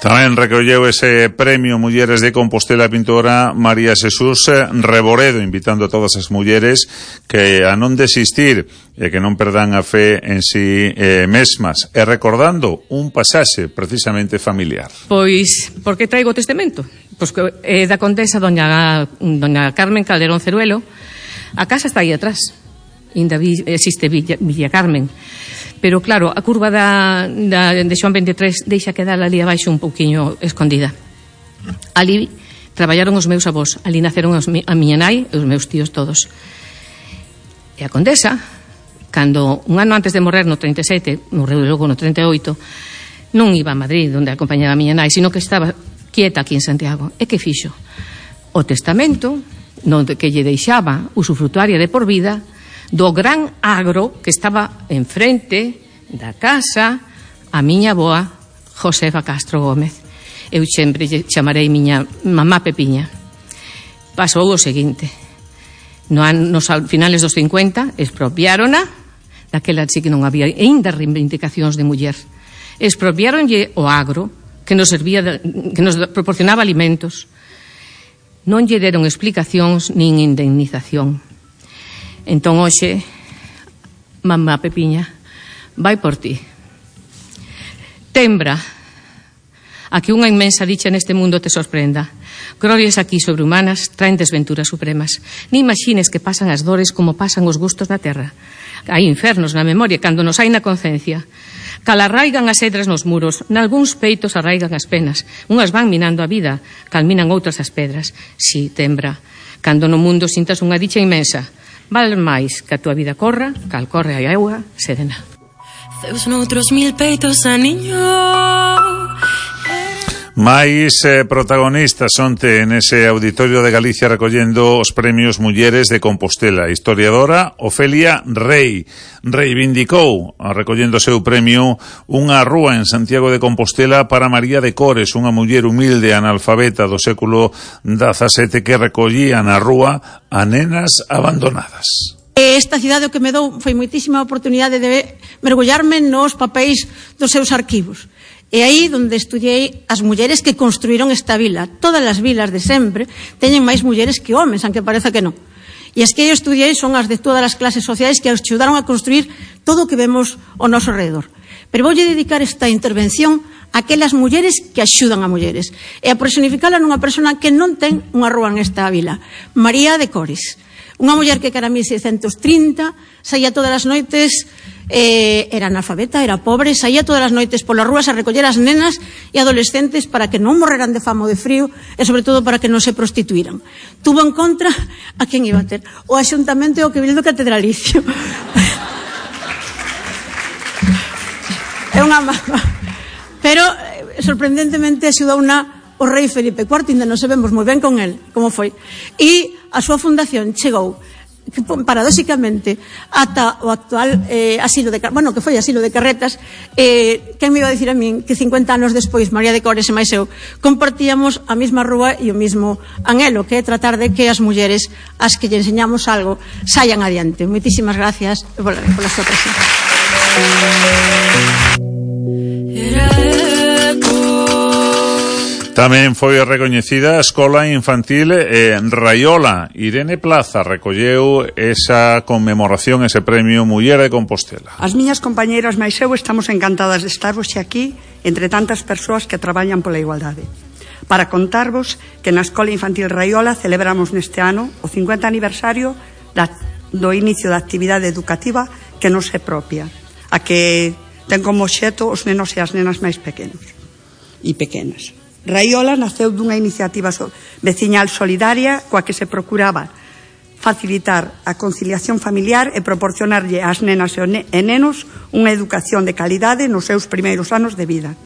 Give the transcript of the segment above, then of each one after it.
Tamén recolleu ese premio Mulleres de Compostela a pintora María Xesús Reboredo, invitando a todas as mulleres que a non desistir e que non perdan a fe en si mesmas, e recordando un pasaxe precisamente familiar. Pois, por que traigo o testamento? Pois que é da condesa doña Carmen Calderón Ceruelo. A casa está aí atrás, ainda existe Villa Carmen. Pero claro, a curva de Xoán 23 deixa quedar ali abaixo un pouquiño escondida. Ali traballaron os meus avós, ali naceron a miña nai e os meus tíos todos. E a condesa, cando un ano antes de morrer no 37, morreu logo no 38, non iba a Madrid onde acompañaba a miña nai, sino que estaba quieta aquí en Santiago. E que fixo? O testamento que lle deixaba usufrutuaria de por vida do gran agro que estaba enfrente da casa a miña avoa Josefa Castro Gómez. Eu sempre chamarei miña mamá Pepiña. Pasou o seguinte: nos finales dos 50 expropiárona, daquela sí que non había aínda reivindicacións de muller. Expropiáronlle o agro que nos servía, que nos proporcionaba alimentos. Non lle deron explicacións nin indemnización. Entón, hoxe, mamá Pepiña, vai por ti. Tembra a que unha inmensa dicha neste mundo te sorprenda. Glorias aquí sobrehumanas traen desventuras supremas. Ni imagines que pasan as dores como pasan os gustos da terra. Hai infernos na memoria cando nos hai na concencia. Cal arraigan as edras nos muros, nalgúns peitos arraigan as penas. Unhas van minando a vida, cal minan outras as pedras. Si, tembra, cando no mundo sintas unha dicha inmensa, val máis que a túa vida corra, cal corre a auga serena. Zeus noutros 1000 peitos a niño. Mais protagonistas onte nese auditorio de Galicia recollendo os premios Mulleres de Compostela. A historiadora Ofelia Rei reivindicou, recollendo o seu premio, unha rúa en Santiago de Compostela para María de Cores, unha muller humilde analfabeta do século XVII que recollía na rúa a nenas abandonadas. Esta cidade o que me dou foi moitísima oportunidade de mergullarme nos papéis dos seus arquivos. E aí onde estudiei as mulleres que construíron esta vila. Todas as vilas de sempre teñen máis mulleres que homes, aunque pareza que non. E as que eu estudiei son as de todas as clases sociais que axudaron a construir todo o que vemos ao noso redor. Pero voulle dedicar esta intervención a aquelas mulleres que axudan a mulleres e a personificala nunha persona que non ten unha rúa nesta vila, María de Cores. Unha muller que cara a 1630 saía todas as noites, era analfabeta, era pobre, saía todas as noites polas rúas a recoller as nenas e adolescentes para que non morreran de fame ou de frío e sobre todo para que non se prostituíran. Tuvo en contra a quen iba a ter? O Axuntamento e o Cabildo Catedralicio. É unha mama. Pero sorprendentemente axudou o rei Felipe IV, ainda non sabemos moi ben con el como foi. E a súa fundación chegou paradóxicamente ata o actual asilo de que foi asilo de Carretas. Quen me iba a dicir a min que 50 anos despois María de Cores e máis eu compartíamos a mesma rúa e o mesmo anhelo, que é tratar de que as mulleres as que lle enseñamos algo saian adiante. Moitísimas gracias pola súa presencia. Tamén foi recoñecida a Escola Infantil Raiola. Irene Plaza recolleu esa conmemoración, ese premio Muller de Compostela. As miñas compañeiras máis eu estamos encantadas de estar hoxe aquí entre tantas persoas que traballan pola igualdade, para contarvos que na Escola Infantil Raiola celebramos neste ano o 50 aniversario do inicio da actividade educativa que nos é propia, a que ten como obxecto os nenos e as nenas máis pequenos e pequenas. Raiola naceu dunha iniciativa veciñal solidaria coa que se procuraba facilitar a conciliación familiar e proporcionarlle ás nenas e nenos unha educación de calidade nos seus primeiros anos de vida.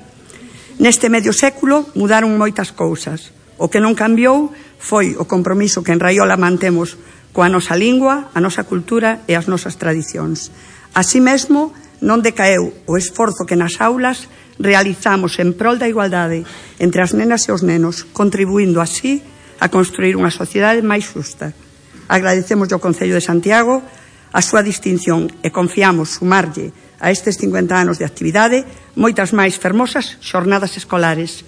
Neste medio século mudaron moitas cousas. O que non cambiou foi o compromiso que en Raiola mantemos coa nosa lingua, a nosa cultura e as nosas tradicións. Así mesmo, non decaeu o esforzo que nas aulas realizamos en prol da igualdade entre as nenas e os nenos, contribuindo así a construir unha sociedade máis xusta. Agradecemos ao Concello de Santiago a súa distinción e confiamos sumarlle a estes 50 anos de actividade moitas máis fermosas xornadas escolares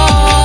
amor.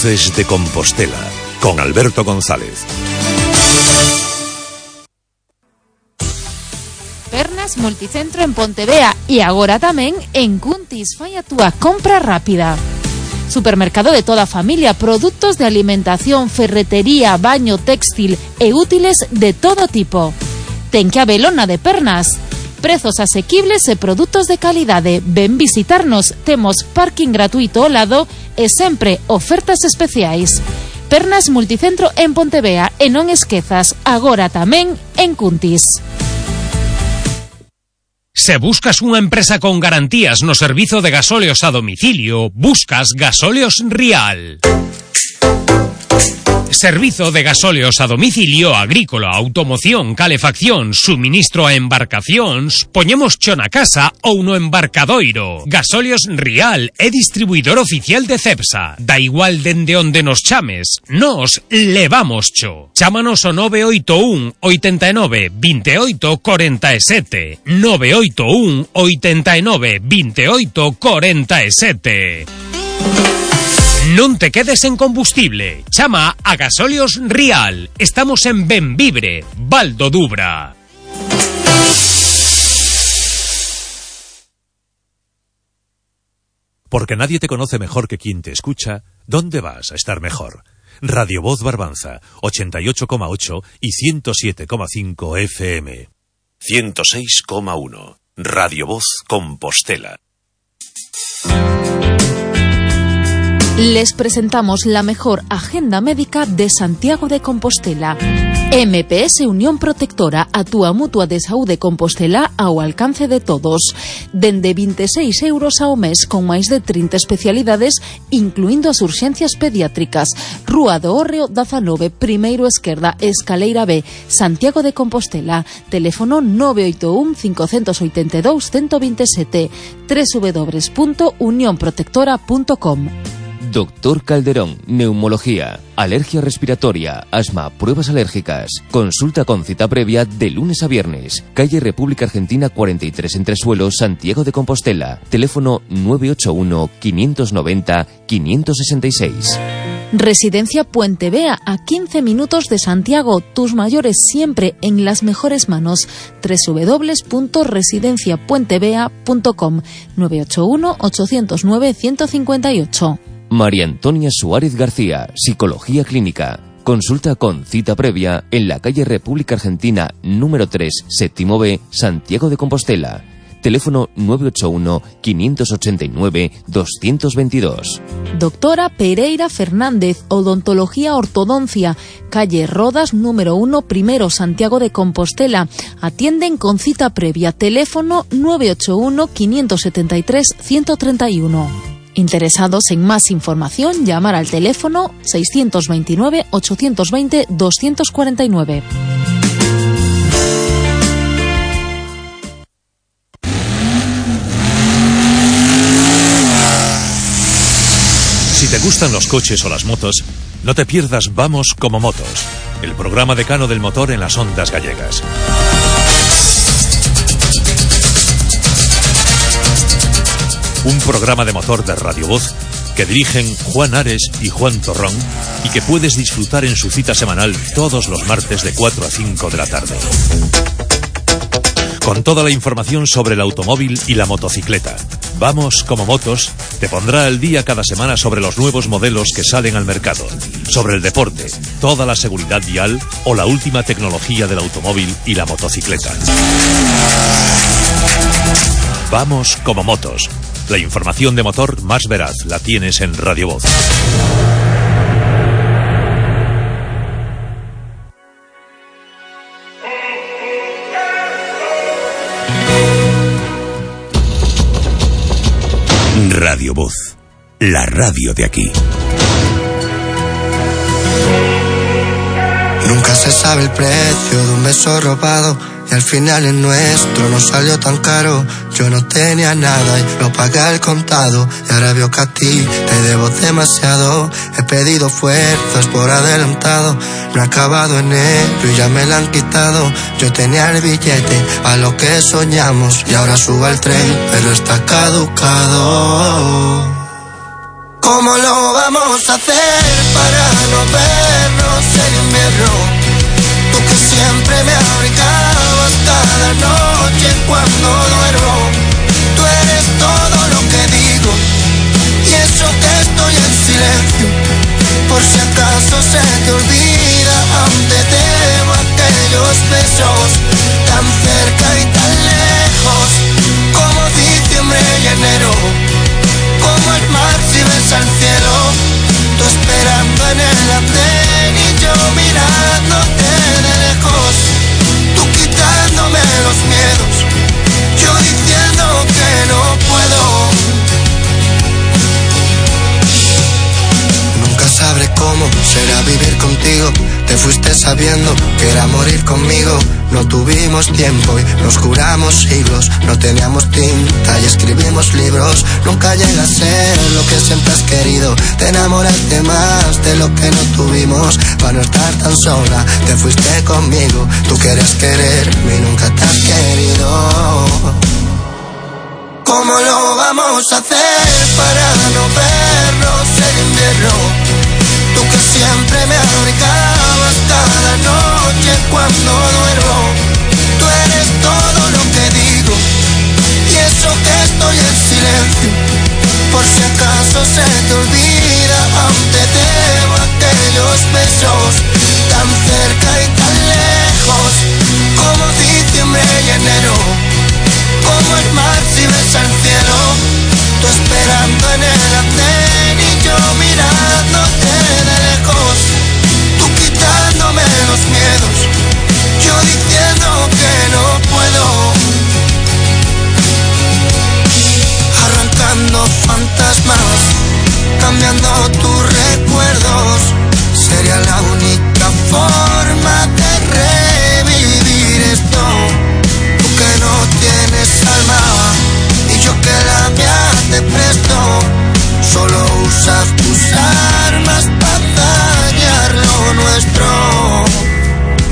Voces de Compostela, con Alberto González. Pernas Multicentro en Pontevea e agora tamén en Cuntis. Fai a túa compra rápida. Supermercado de toda a familia, produtos de alimentación, ferretería, baño, textil e útiles de todo tipo. Ten que habelo na de Pernas. Prezos asequibles e produtos de calidade. Ven visitarnos, temos parking gratuito ao lado e sempre ofertas especiais. Pernas Multicentro en Pontevea e non esquezas, agora tamén en Cuntis. Se buscas unha empresa con garantías no servizo de gasóleos a domicilio, buscas Gasóleos Rial. Servizo de gasóleos a domicilio, agrícola, automoción, calefacción, suministro a embarcacións, poñemos cho na casa ou no embarcadoiro. Gasóleos Rial é distribuidor oficial de Cepsa. Da igual dende onde nos chames, nos levamos cho. Chámanos ao 981 89 28 47. 981 89 28 47. Non te quedes en combustible. Chama a Gasóleos Rial. Estamos en Benvibre, Val do Dubra. Porque nadie te conoce mejor que quien te escucha, ¿dónde vas a estar mejor? Radio Voz Barbanza, 88,8 y 107,5 FM. 106,1. Radio Voz Compostela. Les presentamos la mejor agenda médica de Santiago de Compostela. MPS Unión Protectora, a túa mutua de saúde Compostela ao alcance de todos. Dende 26 euros ao mes con máis de 30 especialidades, incluindo as urxencias pediátricas. Rúa do Hórreo 19, primeiro esquerda, escaleira B, Santiago de Compostela. Teléfono 981 582 127, www.unionprotectora.com. Doctor Calderón, neumología, alergia respiratoria, asma, pruebas alérgicas. Consulta con cita previa de lunes a viernes. Calle República Argentina 43 Entresuelos, Santiago de Compostela. Teléfono 981 590 566. Residencia Puente Vea, a 15 minutos de Santiago. Tus mayores siempre en las mejores manos. www.residenciapuentevea.com. 981 809 158. María Antonia Suárez García, Psicología Clínica. Consulta con cita previa en la calle República Argentina número 3, séptimo B, Santiago de Compostela. Teléfono 981 589 222. Doctora Pereira Fernández, Odontología Ortodoncia, calle Rodas número 1, primero, Santiago de Compostela. Atienden con cita previa. Teléfono 981 573 131. Interesados en más información, llamar al teléfono 629 820 249. Si te gustan los coches o las motos, no te pierdas Vamos como Motos, el programa decano del motor en las ondas gallegas. Un programa de motor de Radio Voz que dirigen Juan Ares y Juan Torrón y que puedes disfrutar en su cita semanal todos los martes de 4 a 5 de la tarde. Con toda la información sobre el automóvil y la motocicleta. Vamos como Motos te pondrá al día cada semana sobre los nuevos modelos que salen al mercado, sobre el deporte, toda la seguridad vial o la última tecnología del automóvil y la motocicleta. Vamos como Motos. La información de motor más veraz la tienes en Radio Voz. Radio Voz, la radio de aquí. Nunca se sabe el precio de un beso robado y al final el nuestro no salió tan caro. Yo no tenía nada y lo pagué al contado y ahora veo que a ti te debo demasiado. He pedido fuerzas por adelantado, no he acabado en ello y ya me la han quitado. Yo tenía el billete a lo que soñamos y ahora subo al tren pero está caducado. ¿Cómo lo vamos a hacer para no vernos en invierno? Tú que siempre me abrigabas cada noche cuando duermo. Tú eres todo lo que digo y eso que estoy en silencio. Por si acaso se te olvida, aún te debo aquellos besos tan cerca y tan lejos, como diciembre y enero, como el mar si ves al cielo. Tú esperando en el andén y yo mirándote de lejos, tú quitándome los miedos, yo diciendo que no puedo. Nunca sabré cómo será vivir contigo. Te fuiste sabiendo que era morir conmigo. No tuvimos tiempo y nos juramos siglos. No teníamos tinta y escribimos libros. Nunca llega a ser lo que siempre has querido. Te enamoraste más de lo que no tuvimos. Para no estar tan sola, te fuiste conmigo. Tú querías quererme y nunca te has querido. ¿Cómo lo vamos a hacer para no vernos en invierno? Tú que siempre me abrigabas cada noche cuando duermo. Tú eres todo lo que digo y eso que estoy en silencio. Por si acaso se te olvida, aún te debo aquellos besos tan cerca y tan lejos, como diciembre y enero, como el mar si ves al cielo. Tú esperando en el andén y yo mirándote de lejos, tú quitándome los miedos, yo diciendo que no puedo. Arrancando fantasmas, cambiando tus recuerdos, sería la única forma de revivir esto. Tú que no tienes alma y yo que la mía te presto, solo usas tus armas para dañar lo nuestro.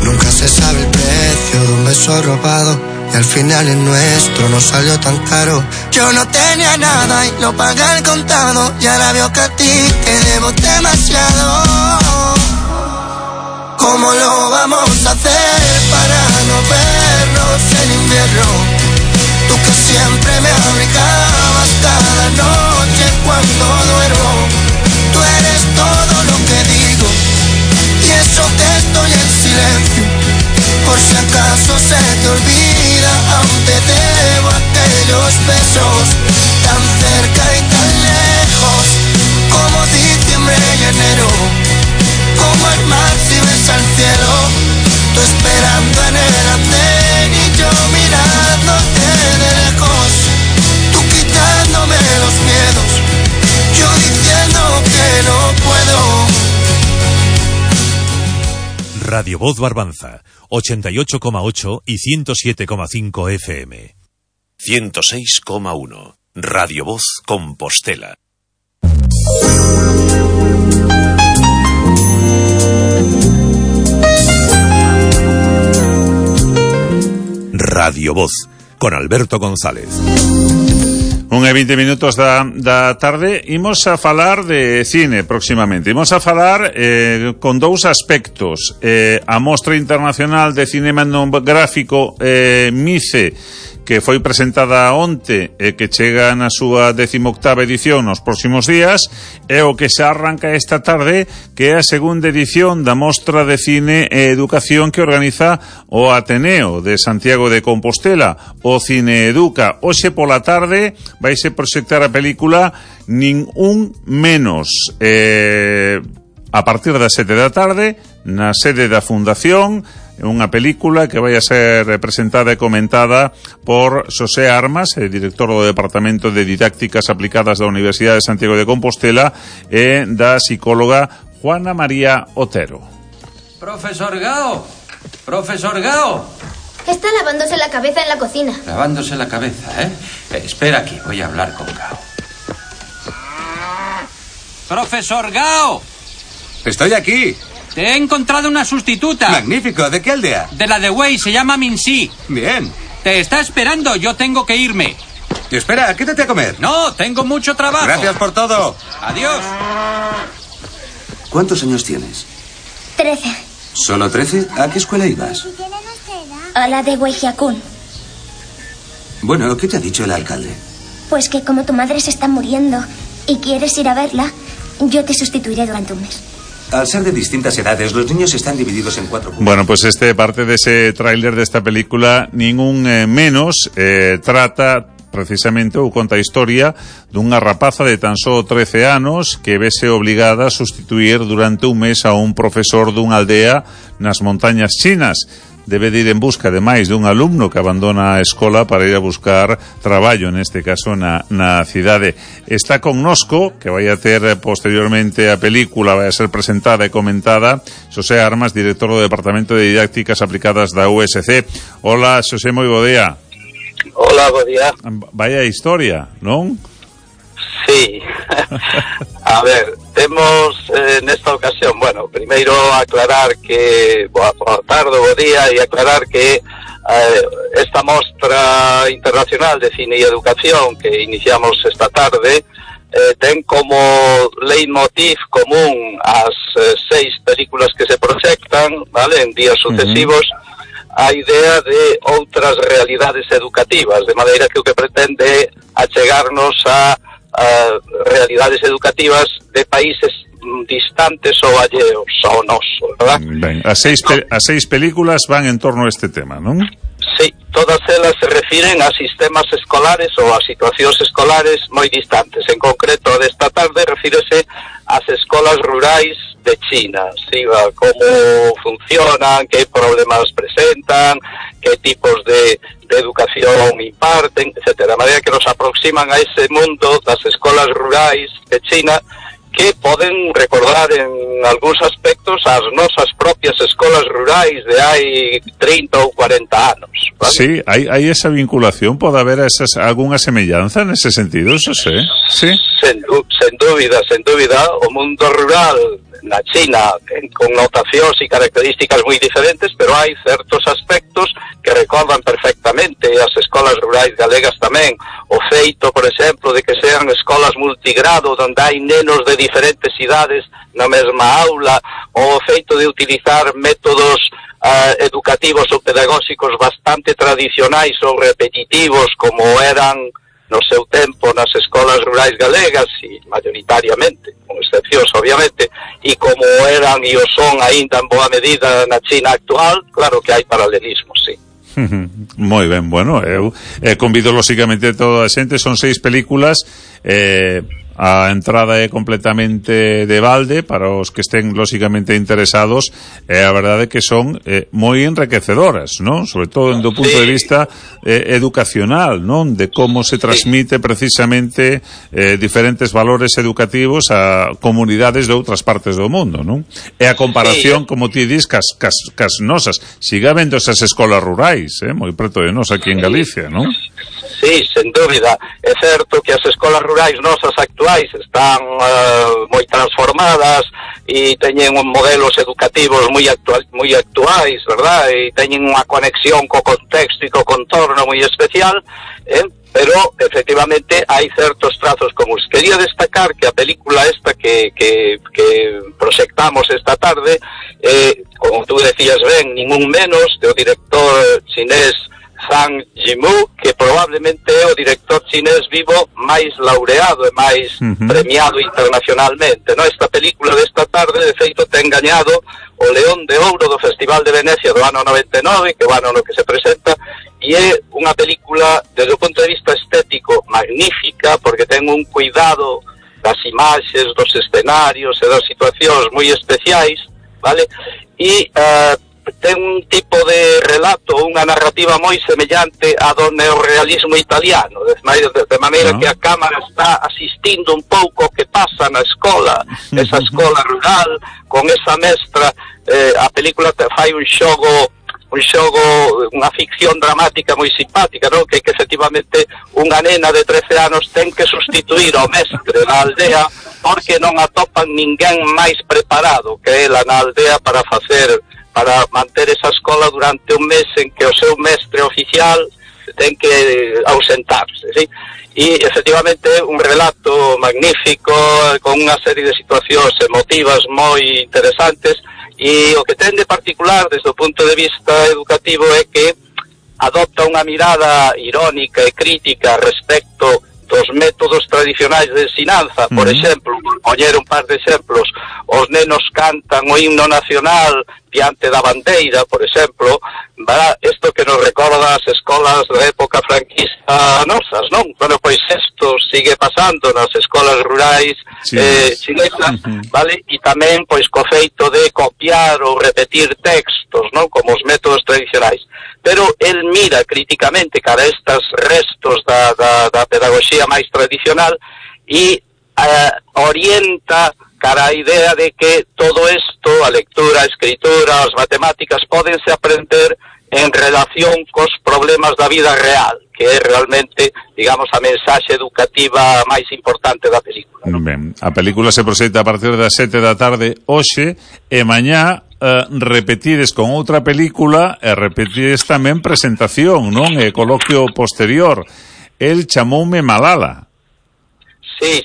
Nunca se sabe el precio de un beso robado y al final el nuestro no salió tan caro. Yo no tenía nada y lo pagué al contado y ahora veo que a ti te debo demasiado. ¿Cómo lo vamos a hacer para no vernos en invierno? Tú que siempre me abrigabas cada noche cuando duermo. Tú eres todo lo que digo y eso que estoy en silencio. Por si acaso se te olvida, aún te debo aquellos besos tan cerca y tan lejos, como diciembre y enero, como el mar si ves al cielo. Tú esperando en el andén y yo mirándote de lejos, tú quitándome los miedos, yo diciendo que no puedo. Radio Voz Barbanza, 88,8 y 107,5 FM. 106,1. Radio Voz Compostela. Radio Voz, con Alberto González. 1:20 da tarde. Imos a falar de cine próximamente. Imos a falar con dous aspectos. A Mostra Internacional de Cinematográfico MICE, que foi presentada onte e que chega na súa 18ª edición nos próximos días, e o que se arranca esta tarde, que é a segunda edición da Mostra de Cine e Educación que organiza o Ateneo de Santiago de Compostela, o Cine Educa. Hoxe pola tarde vaise proxectar a película Nin un menos, a partir das 7 da tarde na sede da Fundación. Unha película que vai a ser presentada e comentada por Xosé Armas, director do Departamento de Didácticas Aplicadas da Universidade de Santiago de Compostela, e da psicóloga Juana María Otero. Profesor Gao, profesor Gao. Está lavándose la cabeza en la cocina. Lavándose la cabeza, ¿eh? Espera aquí, voy a hablar con Gao. Profesor Gao. Estoy aquí. Te he encontrado una sustituta. Magnífico, ¿de qué aldea? De la de Wei, se llama Minsi. Bien. Te está esperando, yo tengo que irme. Y espera, quédate a comer. No, tengo mucho trabajo. Gracias por todo. Adiós. ¿Cuántos años tienes? 13. ¿Solo 13? ¿A qué escuela ibas? A la de Weijiakun. Bueno, ¿qué te ha dicho el alcalde? Pues que como tu madre se está muriendo y quieres ir a verla, yo te sustituiré durante un mes. Al ser de distintas edades, los niños están divididos en 4 grupos. Bueno, pues parte de ese tráiler de esta película, ningún menos, trata precisamente ou conta a historia dunha rapaza de tan só 13 anos que vese obligada a sustituir durante un mes a un profesor dunha aldea nas montañas chinas. Debe de ir en busca de máis dun alumno que abandona a escola para ir a buscar traballo, neste caso na cidade. Está connosco, que vai a ter posteriormente a película, vai a ser presentada e comentada, Xosé Armas, director do Departamento de Didácticas Aplicadas da USC. Hola, Xosé, moi bo día. Hola, bo día. Vaya historia, non? Sí. A ver, temos nesta ocasión, bueno, primeiro aclarar que boa tarde, bo día, e aclarar que esta mostra internacional de cine e educación que iniciamos esta tarde ten como leitmotiv común as 6 películas que se proxectan, vale, en días sucesivos, a idea de outras realidades educativas, de maneira que o que pretende achegarnos a realidades educativas de países distantes ou alleos ao noso, verdad? Ben, as seis películas van en torno a este tema, non? Sí, todas elas se refiren a sistemas escolares ou a situacións escolares moi distantes. En concreto, desta tarde refírese ás escolas rurais de China, ¿sí? Como funcionan, que problemas presentan, que tipos de educación imparten, etc. De maneira que nos aproximan a ese mundo das escolas rurais de China, que poden recordar en algúns aspectos as nosas propias escolas rurais de hai 30 ou 40 anos, ¿vale? Sí, hai esa vinculación, pode haber algunha semellanza nese sentido, eso sí. Sí. Sen dúbida, o mundo rural na China ten connotacións e características moi diferentes, pero hai certos aspectos que recordan perfectamente as escolas rurais galegas tamén. O feito, por exemplo, de que sean escolas multigrado onde hai nenos de diferentes idades na mesma aula, ou o feito de utilizar métodos educativos ou pedagóxicos bastante tradicionais ou repetitivos como eran no seu tempo nas escolas rurais galegas, e maioritariamente, con excepcións obviamente, e como eran e o son aínda en boa medida na China actual, claro que hai paralelismos, sí. Moi ben, bueno, eu convido lóxicamente a toda a xente, son 6 películas, a entrada é completamente de balde para os que estén lóxicamente interesados, a verdade é que son moi enriquecedoras, non? Sobre todo do punto de vista educacional, non? De como se transmite precisamente diferentes valores educativos a comunidades de outras partes do mundo, non? E a comparación, como ti dis, cas nosas, siga vendo esas escolas rurais, moi preto de nos aquí en Galicia, non? Sí, sen dúbida. É certo que as escolas rurais nosas actuais están moi transformadas e teñen modelos educativos moi actuais, verdad? E teñen unha conexión co contexto e co contorno moi especial, pero efectivamente hai certos trazos comuns. Quería destacar que a película esta que proxectamos esta tarde, como tú decías ben, ningún menos, do director chinés Zhang Yimou, que probablemente é o director chinés vivo máis laureado e máis premiado internacionalmente, no? Esta película desta tarde, de feito, ten gañado o León de Ouro do Festival de Venecia do ano 99, que é o ano no que se presenta, e é unha película, desde o punto de vista estético, magnífica, porque ten un cuidado das imaxes, dos escenarios e das situacións moi especiais, vale? E ten un tipo de relato, unha narrativa moi semellante a do neorrealismo italiano, de maneira que a cámara está asistindo un pouco o que pasa na escola, esa escola rural, con esa mestra. A película fai un xogo, unha ficción dramática moi simpática, non? Que efectivamente unha nena de 13 anos ten que sustituir ao mestre na aldea porque non atopan ninguén máis preparado que ela na aldea para manter esa escola durante un mes en que o seu mestre oficial ten que ausentarse, ¿sí? E efectivamente un relato magnífico con unha serie de situacións emotivas moi interesantes, e o que ten de particular desde o punto de vista educativo é que adopta unha mirada irónica e crítica respecto dos métodos tradicionais de ensinanza. Por exemplo, por poñer un par de exemplos, os nenos cantan o himno nacional diante da bandeira, por exemplo, isto que nos recorda as escolas da época franquista nosas, non? Bueno, pois isto sigue pasando nas escolas rurais chinesas, vale? E tamén, pois, co feito de copiar ou repetir textos, non? Como os métodos tradicionais. Pero el mira críticamente cara a estes restos da pedagogía máis tradicional e orienta cara a idea de que todo isto, a lectura, a escritura, as matemáticas, pódense aprender en relación cos problemas da vida real, que é realmente, digamos, a mensaxe educativa máis importante da película, ¿no? Ben, a película se proxecta a partir das 7 da tarde hoxe, e mañá repetides con outra película e repetides tamén presentación, non? E coloquio posterior. El chamoume Malala. Sí.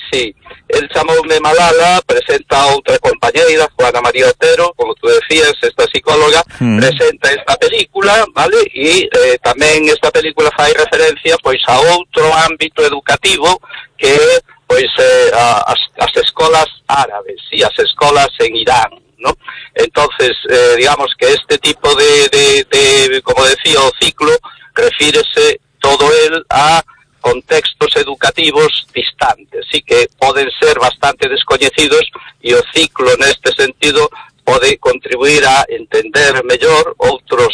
El chamoume Malala, presenta a outra compañeira, Juana María Otero, como tú decías, esta psicóloga, presenta esta película, vale? E tamén esta película fai referencia, pois, a outro ámbito educativo que é, pois, as escolas árabes e as escolas en Irán, ¿no? Entonces, digamos que este tipo de como decía o ciclo, refírese todo el a contextos educativos distantes, sí, que poden ser bastante descoñecidos, e o ciclo neste sentido pode contribuir a entender mellor outros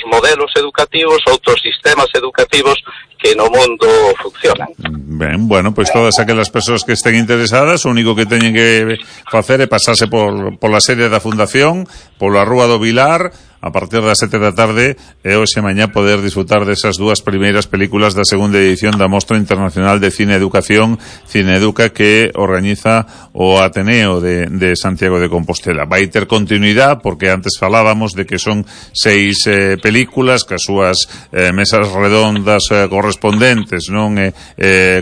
modelos educativos, outros sistemas educativos que no mundo funcionan. Ben, bueno, pois todas aquelas persoas que estén interesadas, o único que teñen que facer é pasarse pola sede da Fundación, pola Rúa do Vilar, a partir das 7 da tarde, e hoxe mañá poder disfrutar desas dúas primeiras películas da segunda edición da Mostra Internacional de Cine Educación, Cineeduca, que organiza o Ateneo de Santiago de Compostela. Vai ter continuidade, porque antes falábamos de que son 6 películas, que as súas mesas redondas correspondentes, non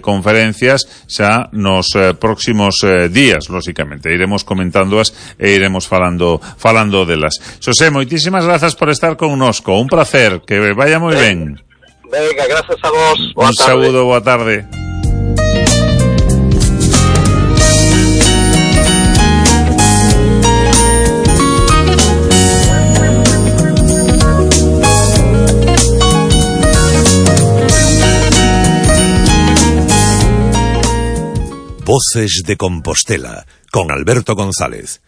conferencias, xa nos próximos días, lóxicamente. Iremos comentándoas e iremos falando delas. Xosé, moitísimas grazas por estar connosco. Un placer, que vaya moi ben. Venga, gracias a vos. Un saúdo, boa tarde. Voces de Compostela, con Alberto González.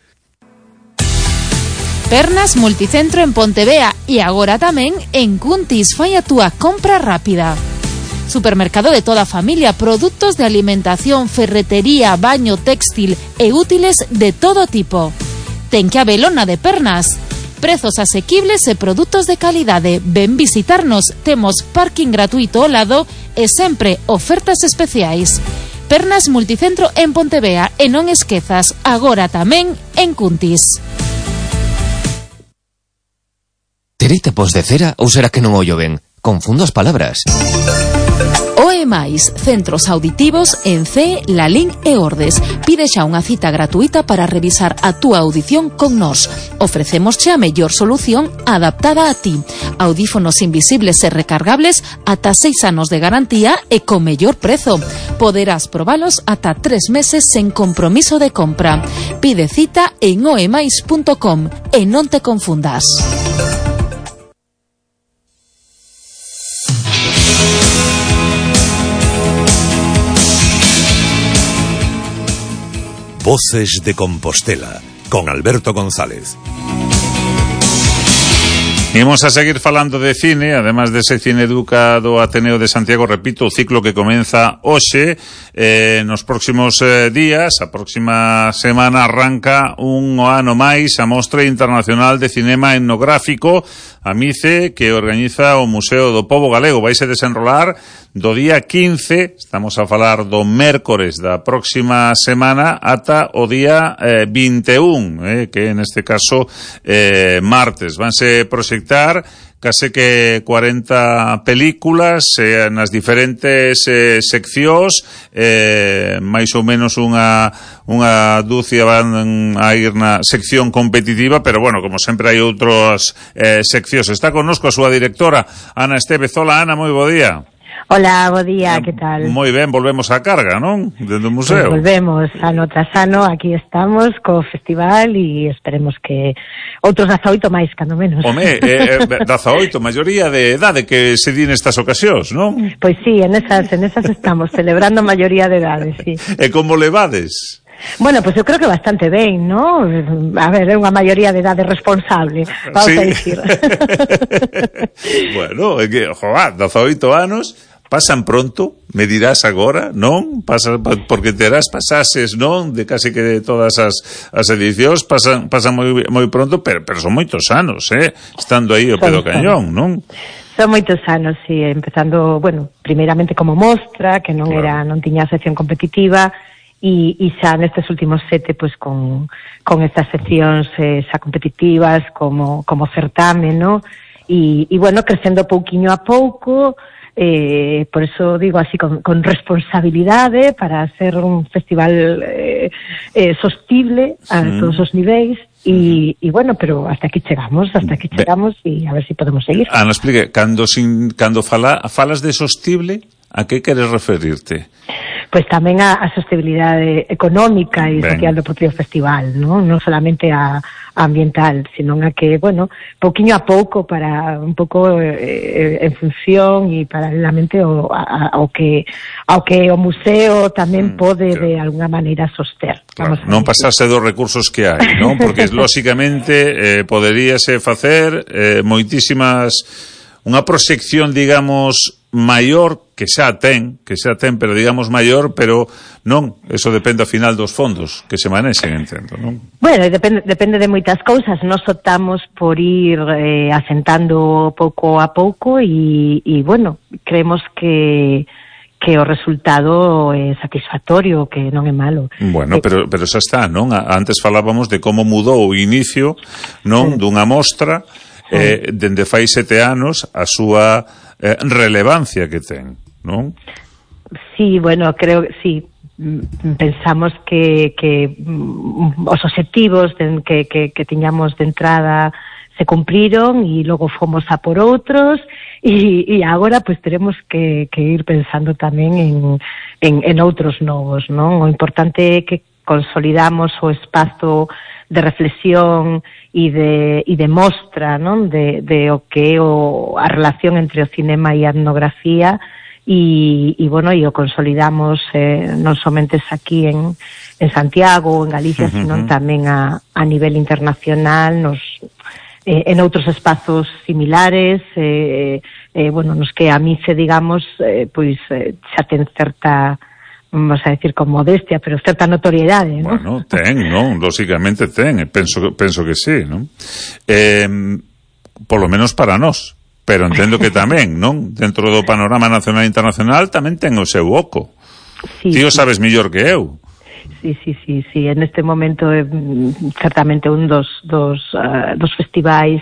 Pernas Multicentro en Pontevea e agora tamén en Cuntis. Fai a túa compra rápida. Supermercado de toda a familia, produtos de alimentación, ferretería, baño, textil e útiles de todo tipo. Ten que habelo na de Pernas. Prezos asequibles e produtos de calidade. Ven visitarnos, temos parking gratuito ao lado e sempre ofertas especiais. Pernas Multicentro en Pontevea, e non esquezas, agora tamén en Cuntis. Terei tapos de cera ou será que non ollo ben? Confundo as palabras. OE+, centros auditivos en CE, Lalín e Ordes. Pide xa unha cita gratuita para revisar a túa audición con nós. Ofrecemos xa a mellor solución adaptada a ti. Audífonos invisibles e recargables ata 6 anos de garantía e con mellor prezo. Poderás probalos ata 3 meses sen compromiso de compra. Pide cita en oemais.com e non te confundas. Voces de Compostela, con Alberto González. Imos a seguir falando de cine, además de ese Cineeduca do Ateneo de Santiago, repito, o ciclo que comeza hoxe, nos próximos días, a próxima semana arranca un ano máis a Mostra Internacional de Cinema Etnográfico, a MICE, que organiza o Museo do Pobo Galego. Vaise desenrolar do día 15, estamos a falar do mércores da próxima semana, ata o día 21, que neste caso martes. Vanse proseguir proxectar case que 40 películas nas diferentes seccións, máis ou menos unha dúcia van a ir na sección competitiva, pero bueno, como sempre hai outras seccións. Está connosco a súa directora, Ana Estevez. Hola, Ana, moi bo día. Hola, bo día, que tal? Moi ben, volvemos á carga, non? Dende o museo. Pues volvemos, ano tras ano, aquí estamos co festival e esperemos que outros 18 máis, cando menos. Home, 18, maioría de edade que se di nestas ocasións, non? Pois sí, en esas estamos, celebrando a maioría de edade, sí. E como levades? Bueno, pues eu creo que bastante ben, ¿no? A ver, é unha maioría de edade responsable, vamos a dicir. Bueno, é que, joa, 18 anos... pasan pronto, me dirás agora, non? Porque terás pasases, non? De case que de todas as edicións pasan moi pronto, pero son moitos anos, estando aí ao pé do cañón, non? Son moitos anos, sí, empezando, bueno, primeiramente como mostra, que non tiña sección competitiva, e xa nestes últimos 7, pues con estas seccións xa competitivas, como certame, non? E bueno, crecendo pouquiño a pouco. Por eso digo así con responsabilidade para ser un festival sostible a todos os niveis e bueno, pero hasta aquí chegamos e a ver si podemos seguir. Ana, explique, cando falas de sostible, a que queres referirte? Pois tamén a sostenibilidade económica e social do propio festival, non solamente a ambiental, sino a que, bueno, pouquiño a pouco para un pouco en función e paralelamente ao que o museo tamén pode de alguna maneira soster. Claro, non pasarse dos recursos que hai, non? Porque lóxicamente poderíase facer moitísimas, unha proxección, digamos, maior, que xa ten, pero digamos maior, pero non, eso depende ao final dos fondos que se manexen, entendo, non? Bueno, depende de moitas cousas. Nos optamos por ir asentando pouco a pouco e bueno, creemos que o resultado é satisfactorio, que non é malo. Bueno, pero xa está, non? Antes falábamos de como mudou o inicio, non? Dunha mostra, dende fai 7 anos, a súa relevancia que ten, non? Sí, bueno, creo que sí. Pensamos que os obxectivos que tiñamos de entrada se cumpriron e logo fomos a por outros e agora pues teremos que ir pensando tamén en outros novos, non? O importante é que consolidamos o espazo de reflexión e de mostra, non? De o que é a relación entre o cinema e a etnografía e bueno, e o consolidamos non somente aquí en Santiago ou en Galicia, sino tamén a nivel internacional, en outros espazos similares, bueno, nos que a MICE, digamos, pois xa ten certa, vamos a decir con modestia, pero certa notoriedade, non? Bueno, ten, non? Lóxicamente ten, penso que sí, non? Por lo menos para nós, pero entendo que tamén, non? Dentro do panorama nacional e internacional tamén ten o seu oco. Sí, ti o sabes mellor que eu. Sí, en este momento é certamente un dos festivais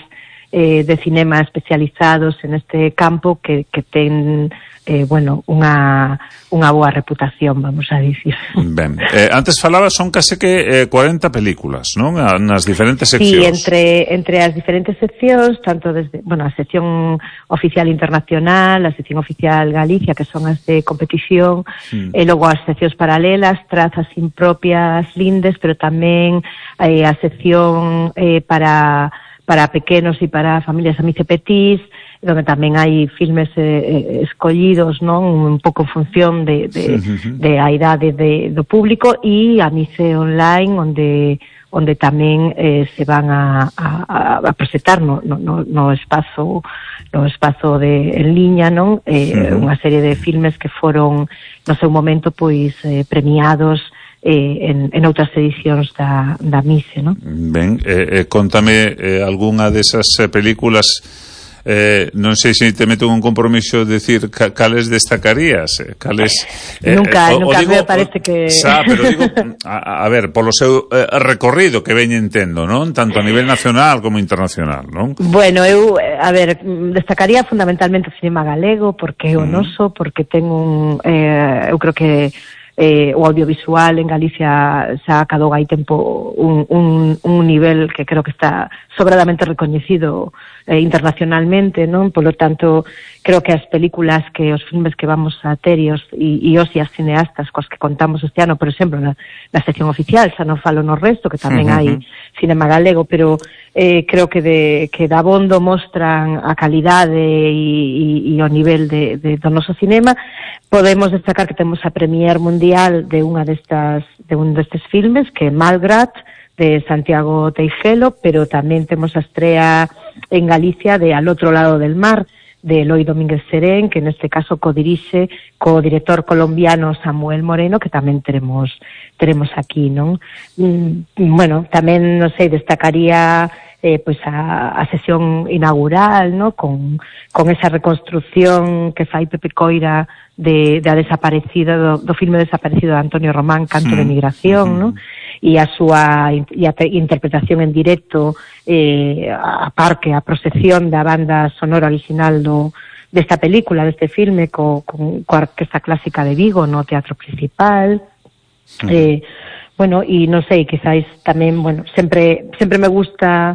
de cinema especializados en este campo que ten bueno, unha boa reputación, vamos a dicir. Ben, antes falaba, son case que 40 películas, non? Nas diferentes seccións. Sí, entre as diferentes seccións, tanto desde, bueno, a sección oficial internacional, a sección oficial Galicia, que son as de competición, e logo as seccións paralelas, trazas impropias lindes, pero tamén a sección para pequenos e para familias amice petís, donde tamén hai filmes escollidos, non, un pouco en función de a idade do público, e a Mice Online, onde tamén se van a presentar no espazo en liña, non, unha serie de filmes que foron no seu momento pois premiados en outras edicións da Mice, non? Ben, contame algunha desas películas non sei se te meto un compromiso de decir cales destacarías, cales... Nunca me parece que... pero digo, a ver, polo seu recorrido que veñe entendo, non? Tanto a nivel nacional como internacional, non? Bueno, eu, a ver, destacaría fundamentalmente o cinema galego, porque é o noso, porque ten eu creo que o audiovisual en Galicia xa acadou hai tempo un nivel que creo que está sobradamente recoñecido internacionalmente, non? Por lo tanto, creo que as películas os filmes que vamos a ter e os cineastas coas que contamos este ano, por exemplo, na sección oficial, xa non falo no resto, que tamén hai cinema galego, pero creo que dabondo mostran a calidade e o nivel do noso cinema. Podemos destacar que temos a premier mundial de un destes filmes, que é Malgrat, de Santiago Teixelo, pero tamén temos a estrea en Galicia de Al outro lado del mar, de Eloi Domínguez Serén, que neste caso codirixe co director colombiano Samuel Moreno, que tamén teremos aquí, non? Bueno, tamén, non sei, destacaría pois a sesión inaugural, no? Con esa reconstrucción que fai Pepe Coira da desaparecida do filme desaparecido de Antonio Román, Canto de Migración, no? E a súa interpretación en directo, a par que a procesión da banda sonora original desta película, deste filme, coa Orquesta Clásica de Vigo no Teatro Principal. Bueno, e non sei, quizáis tamén, bueno, sempre me gusta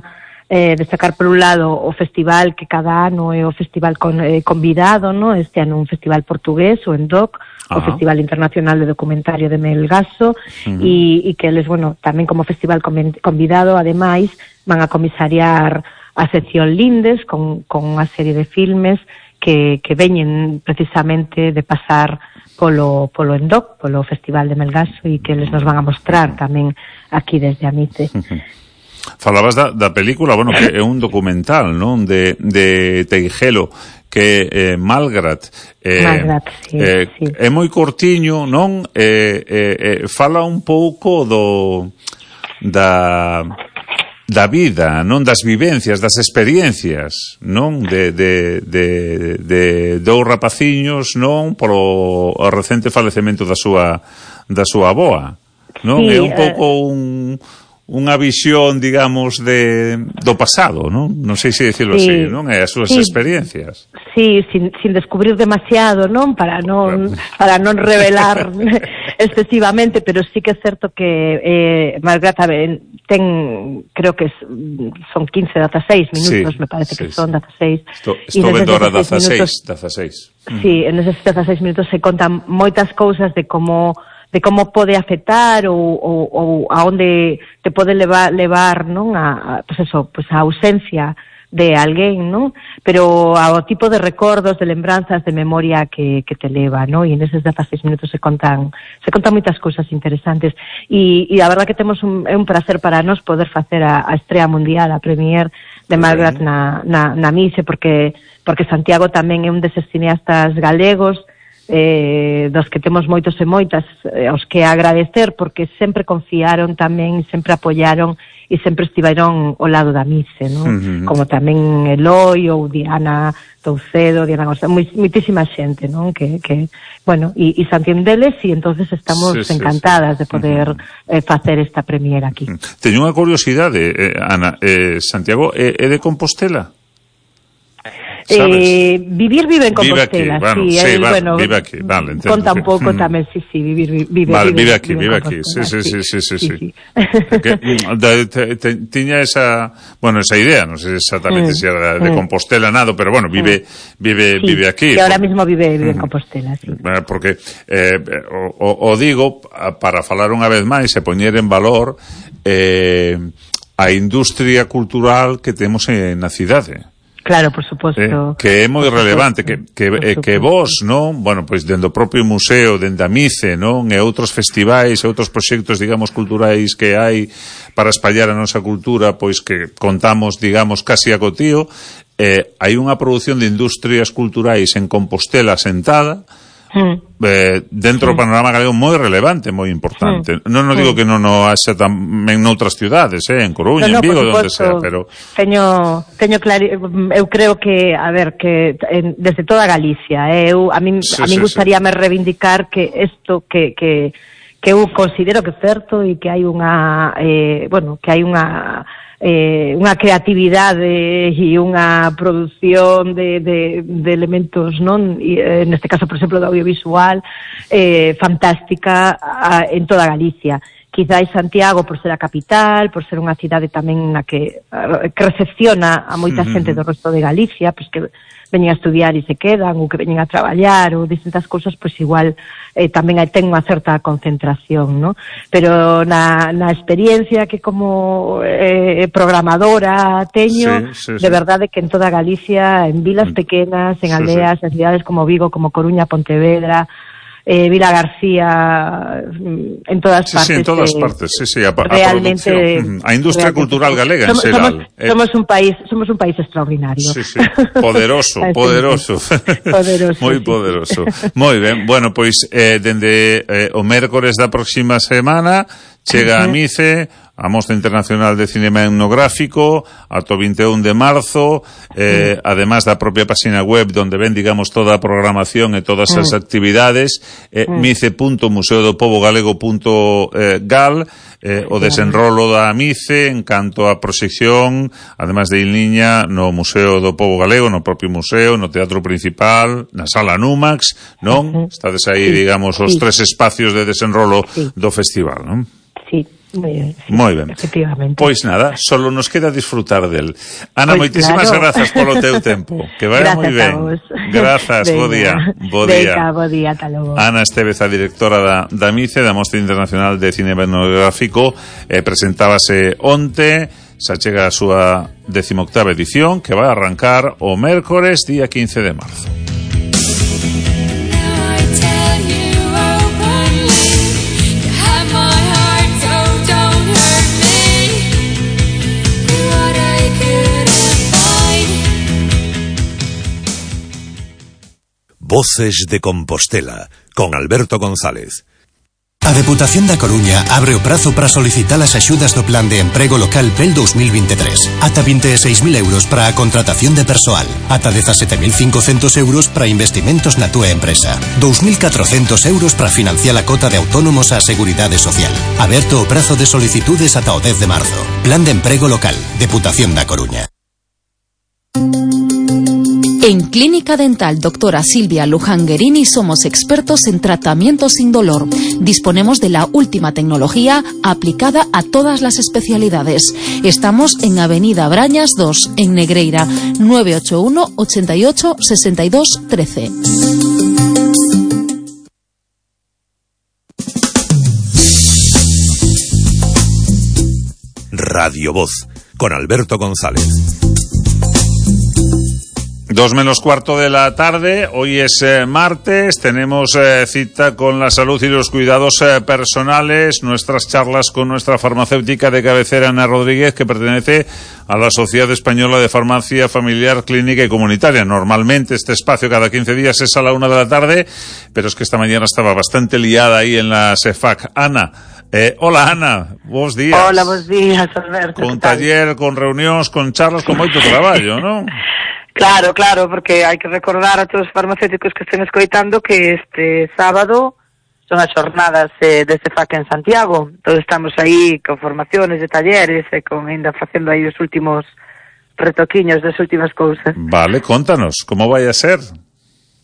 destacar por un lado o festival que cada ano é o festival convidado, no? Este ano un festival portugués, o ENDOC, o Festival Internacional de Documentario de Melgaso, e que eles, bueno, tamén como festival convidado, ademais, van a comisariar a sección Lindes con unha serie de filmes que veñen precisamente de pasar polo ENDOC, polo Festival de Melgaso, e que eles nos van a mostrar tamén aquí desde Amice. Falabas da película, bueno, que é un documental, non? De Teixelo, que Malgrat. Malgrat, sí. É moi cortiño, non? Fala un pouco da vida, non? Das vivencias, das experiencias, non? De dous rapaciños, non? Polo recente falecemento da súa avoa, non? É un pouco unha visión, digamos, do pasado, non? Non sei se dicirlo así, non? E as súas experiencias. Sí, sin descubrir demasiado, non? Para non revelar excesivamente, pero sí que é certo que Malgrat ten, creo que son 15, 16 minutos, me parece que son 16. Estou vendo ahora 16. Sí, en esos 16 minutos se contan moitas cousas de como pode afectar ou a onde te pode levar, non? Pues a ausencia de alguén, non? Pero ao tipo de recordos, de lembranzas, de memoria que te leva, non? E neses 16 minutos se contan moitas cousas interesantes. E a verdad que temos un placer para nós poder facer a estrea mundial, a premier de Malgrat na Mise, porque Santiago tamén é un deses cineastas galegos dos que temos moitos e moitas aos que agradecer, porque sempre confiaron tamén, sempre apoiaron e sempre estiveron ao lado da Mise, non? Como tamén Eloi ou Diana Toucedo, Diana González, moitísima xente, non? Que bueno, e Santiendeles, e entonces estamos encantadas de poder facer esta premier aquí. Teño unha curiosidade, Ana, Santiago é de Compostela? Vive en Compostela, vive aquí, vale, entendo. Conta un pouco tamén, sí, vive aquí, sí. Tiña esa idea, non sei exactamente se era de Compostela nado, pero bueno, vive aquí. E ahora mismo vive en Compostela, sí. Porque o digo para falar unha vez máis e poñer en valor a industria cultural que temos na cidade. Claro, por suposto. Que é moi relevante, que vos, non? Bueno, pois dende o propio museo, dende a Mice, non? E outros festivais, e outros proxectos, digamos, culturais que hai para espallar a nosa cultura, pois que contamos, digamos, casi a cotío, hai unha produción de industrias culturais en Compostela sentada, dentro do panorama galego moi relevante, moi importante. Non digo que non o haxa tamén noutras ciudades, en Coruña, en Vigo, onde sea, pero teño claro, eu creo que, a ver, que desde toda Galicia, a min gustaríame reivindicar que isto que eu considero que é certo e que hai unha creatividade e unha produción de elementos, non? Neste caso, por exemplo, do audiovisual, fantástica en toda Galicia. Quizás Santiago, por ser a capital, por ser unha cidade tamén na que recepciona a moita xente do resto de Galicia, pois que veñen a estudiar e se quedan, ou que veñen a traballar, ou distintas cousas, pois igual tamén ten unha certa concentración, non? Pero na experiencia que como programadora teño, de verdade que en toda Galicia, en vilas pequenas, en aldeas, en cidades como Vigo, como Coruña, Pontevedra, Vila García, en todas partes. Sí, en todas partes, a realmente a industria cultural galega en xeral. Somos un país extraordinario. Poderoso. Moi poderoso. Moi ben, bueno, pois dende o mércores da próxima semana chega a MICE, a Mostra Internacional de Cinema Etnográfico, ata o 21 de marzo, además da propia página web donde ven, digamos, toda a programación e todas as actividades, mice.museodopovogalego.gal, o desenrolo da MICE en canto a proxección, además de en liña no Museo do Pobo Galego, no propio museo, no Teatro Principal, na Sala Numax, non? Estades aí, digamos, os tres espacios de desenrolo do festival, non? Sí. Moi ben. Efectivamente. Pois nada, solo nos queda disfrutar del. Ana, moitísimas grazas polo teu tempo. Que vaya moi ben. Grazas, bo día. Bo día, ata logo. Ana Estévez, a directora da MICE, da Mostra Internacional de Cinema Etnográfico, presentábase onte, xa chega a súa 18ª edición, que vai arrancar o mércores, día 15 de marzo. Voces de Compostela, con Alberto González. A Deputación da Coruña abre o prazo para solicitar as axudas do Plan de Emprego Local PEL 2023. Ata 26.000 euros para a contratación de persoal. Ata 17.500 euros para investimentos na túa empresa. 2.400 euros para financiar a cota de autónomos á Seguridade Social. Aberto o prazo de solicitudes ata o 10 de marzo. Plan de Emprego Local, Deputación da Coruña. En Clínica Dental Doctora Silvia Lujanguerini somos expertos en tratamiento sin dolor. Disponemos de la última tecnología aplicada a todas las especialidades. Estamos en Avenida Brañas 2, en Negreira, 981 88 62 13. Radio Voz, con Alberto González. 2:15 de la tarde, hoy es martes, tenemos cita con la salud y los cuidados personales, nuestras charlas con nuestra farmacéutica de cabecera, Ana Rodríguez, que pertenece a la Sociedad Española de Farmacia Familiar, Clínica y Comunitaria. Normalmente este espacio cada 15 días es a la 1 de la tarde, pero es que esta mañana estaba bastante liada ahí en la SEFAC. Ana, hola Ana, bons días. Hola, bons días, Alberto. Con taller, con reunións, con charlas, con moito traballo, non? Claro, porque hai que recordar a todos os farmacéuticos que estén escoitando que este sábado son as jornadas de CEFAC en Santiago. Todos estamos aí con formaciones de talleres e con ainda facendo aí os últimos retoquiños das últimas cousas. Vale, contanos, como vai a ser?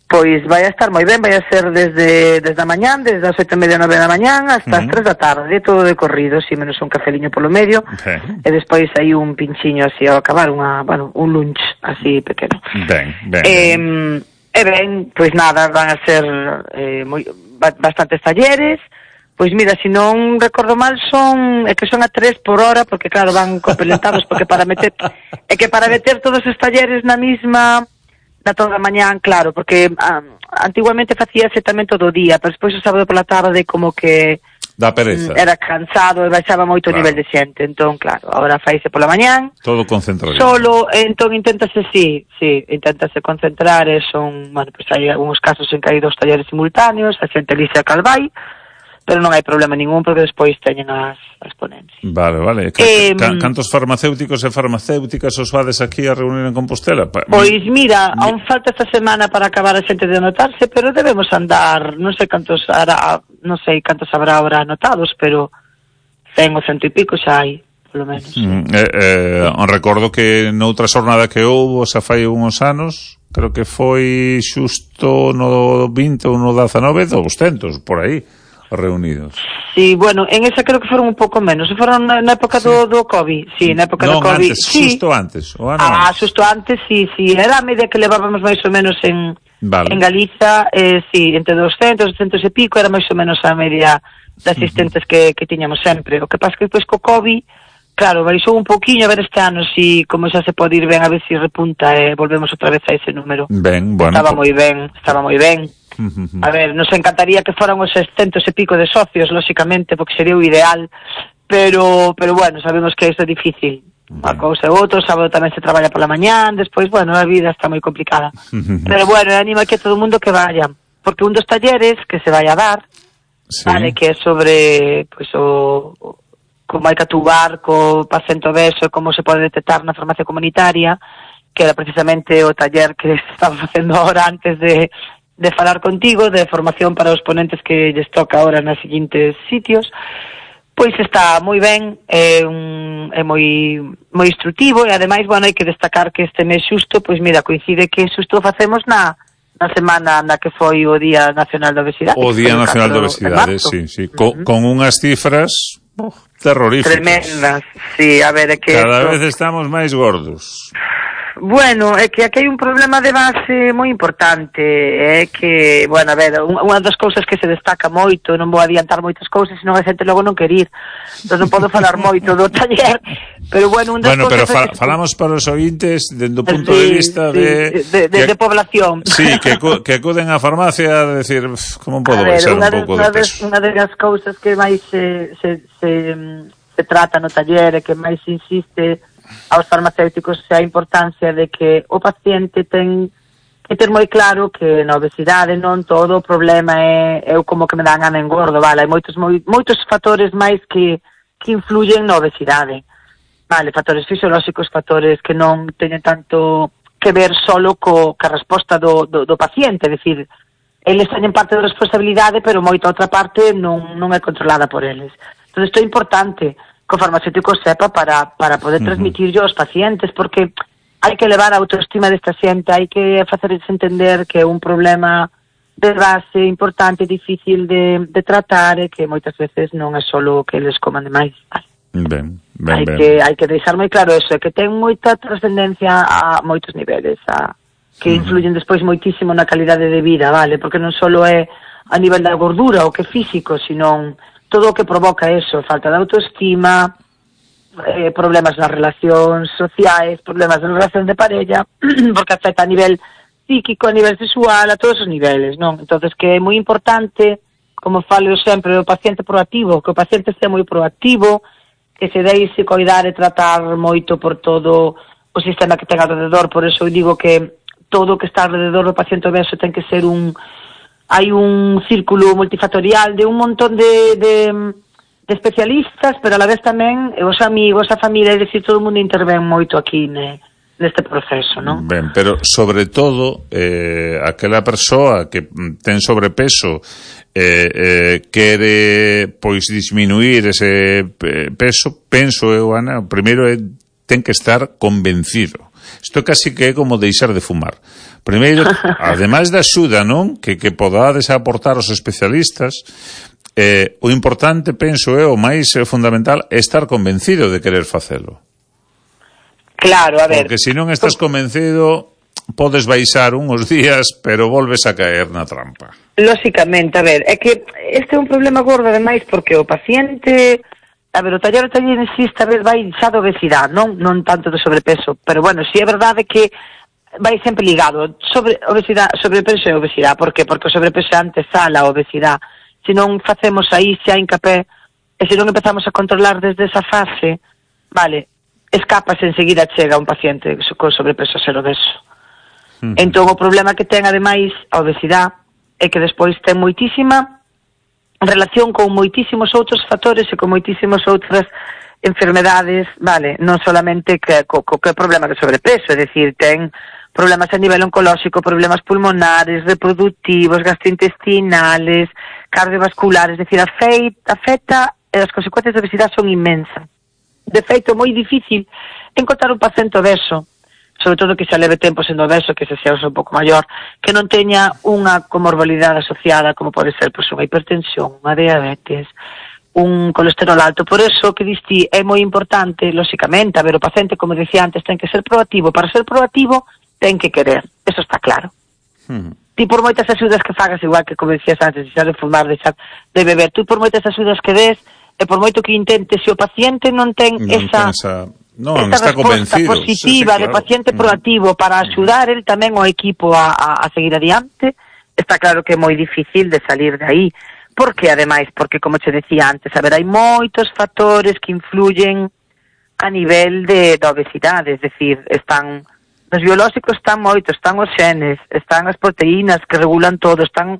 Pois vai a estar moi ben, vai a ser desde a mañán, desde as 8:30, 9 da mañán hasta as 3 da tarde, todo de corrido, si menos un cafeliño polo medio, e despois hai un pinchiño así ao acabar, un lunch así pequeno. Ben. Pois nada, van a ser bastantes talleres. Pois mira, se non recordo mal, son a 3 por hora, porque claro, van complementados, porque para meter todos os talleres na mesma na toda a mañán, claro, porque antiguamente facíase tamén todo o día, pero despois o sábado pola tarde como que Da pereza. Era cansado e baixaba moito o nivel de xente. Entón, claro, agora faise pola mañán. Todo concentrado. Solo, entón, inténtase concentrar, e son, bueno, pues hai algúns casos en que hai 2 talleres simultáneos, a xente lixa calvai, pero non hai problema ningún porque despois teñen as ponencias. Vale. Cantos farmacéuticos e farmacéuticas os fades aquí a reunir en Compostela? Pois mira, aún falta esta semana para acabar a xente de anotarse, pero debemos andar, non sei cantos habrá ahora anotados, pero 100 ou 100 e pico xa hai, polo menos. Recordo que noutra xornada que houbo, xa fai uns anos, creo que foi xusto no 20 ou no 19, 200, por aí, reunidos. Sí, bueno, en esa creo que foron un pouco menos. Foron na época do COVID. Sí, na época do COVID. Antes, sí. Xusto antes. Xusto antes, sí. Era a media que levábamos máis ou menos en Galiza, sí, entre 200, 200 e pico, era máis ou menos a media de asistentes que tiñamos sempre. O que pasa que depois co COVID, claro, baixou un pouquiño, a ver este ano si, como xa se pode ir ben, a ver si repunta e volvemos outra vez a ese número. Ben, bueno. Estaba moi ben. A ver, nos encantaría que foran os 600 e pico de socios, lóxicamente, porque sería o ideal, pero bueno, sabemos que isto é difícil. Unha cousa e outra, o sábado tamén se traballa pola mañán, despois, bueno, a vida está moi complicada. Pero bueno, animo aquí a todo o mundo que vaya, porque un dos talleres que se vai a dar, vale, que é sobre, pues, como hai que atubar co paciente obeso e como se pode detectar na farmacia comunitaria, que era precisamente o taller que estaba facendo ahora antes de falar contigo, de formación para os ponentes que lles toca ahora nos seguintes sitios. Pois está moi ben, é moi instructivo e ademais, bueno, hai que destacar que este mes xusto, pois mira, coincide que xusto facemos na semana na que foi o Día Nacional da Obesidade. O Día Nacional da Obesidade, sí. Con unhas cifras terroríficas. Tremendas, sí, a ver, é que cada vez estamos máis gordos. Bueno, é que aquí hai un problema de base moi importante, é que, bueno, a ver, unha das cousas que se destaca moito, non vou adiantar moitas cousas, senón a xente logo non quer ir, entón non podo falar moito do taller, pero bueno, un das cousas... Bueno, pero falamos para os ointes dende o punto de vista de población. Sí, que acuden á farmacia a decir, como podo baixar un pouco de peso? Unha das cousas que máis se trata no taller e que máis insiste aos farmacéuticos é a importancia de que o paciente ten que ter moi claro que na obesidade non todo o problema é como que me dan gana engordo, vale, hai moitos fatores máis que influyen na obesidade, vale, factores fisiolóxicos, factores que non teñen tanto que ver solo ca resposta do paciente, é dicir, eles teñen parte da responsabilidade, pero moita outra parte non é controlada por eles. Entón, isto é importante que o farmacéutico sepa para poder transmitirlo aos pacientes, porque hai que levar a autoestima desta xente, hai que facerles entender que é un problema de base importante, difícil de tratar, e que moitas veces non é solo que eles coman demais. Ben. Hai que deixar moi claro eso, que ten moita trascendencia a moitos niveles, que influyen despois moitísimo na calidade de vida, vale? Porque non só é a nivel da gordura o que físico, sino todo o que provoca eso, falta de autoestima, problemas nas relacións sociais, problemas na relación de parella, porque afecta a nivel psíquico, a nivel sexual, a todos os niveles, non? Entonces, que é moi importante, como falo sempre, o paciente proactivo, que o paciente sea moi proactivo, que se deixe coidar e tratar moito por todo o sistema que ten alrededor. Por eso eu digo que todo o que está alrededor do paciente obeso ten que ser hai un círculo multifactorial de un montón de especialistas, pero a la vez tamén os amigos, a familia, é dicir, todo o mundo intervén moito aquí neste proceso, non? Ben, pero sobre todo aquela persoa que ten sobrepeso quere pois disminuir ese peso, penso eu, Ana, primeiro ten que estar convencido. Isto casi que é como deixar de fumar. Primeiro, ademais da axuda, non? Que podades aportar os especialistas, o importante, penso eu, o máis fundamental, é estar convencido de querer facelo. Claro, a ver... Porque se non estás convencido, podes baixar uns días, pero volves a caer na trampa. Lóxicamente, a ver, é que este é un problema gordo, ademais, porque o paciente... A ver, o taller insiste, a vez vai xa de obesidade, non tanto de sobrepeso, pero bueno, si é verdade que vai sempre ligado sobrepeso e obesidade. Por que? Porque o sobrepeso é antesala a obesidade. se non facemos aí xa hincapé, e se non empezamos a controlar desde esa fase, vale, escapas enseguida chega un paciente con sobrepeso a ser obeso. Entón o problema que ten ademais a obesidade é que despois ten moitísima relación con moitísimos outros factores e con moitísimas outras enfermedades, vale, non solamente que problema de sobrepeso, é dicir, ten problemas a nivel oncolóxico, problemas pulmonares, reproductivos, gastrointestinales, cardiovasculares, é dicir, afecta e as consecuencias da obesidade son inmensas. De feito, é moi difícil encontrar un paciente obeso, sobre todo que xa leve tempo sendo obeso, que se xa un pouco maior, que non teña unha comorbilidade asociada, como pode ser unha hipertensión, unha diabetes, un colesterol alto. Por eso, que diste, é moi importante, lóxicamente, a ver, o paciente, como dicía antes, ten que ser proactivo. Para ser proactivo, ten que querer. Eso está claro. Ti por moitas axudas que fagas, igual que, como dicías antes, deixar de fumar, deixar de beber, tú por moitas axudas que des, e por moito que intentes, se o paciente non ten esa resposta positiva de paciente proactivo para axudar el tamén o equipo a seguir adiante, está claro que é moi difícil de salir de aí. Por que, ademais? Porque, como che decía antes, a ver, hai moitos factores que influyen a nivel da obesidade, es decir, están os biolóxicos, están moitos, están os xenes, están as proteínas que regulan todo, están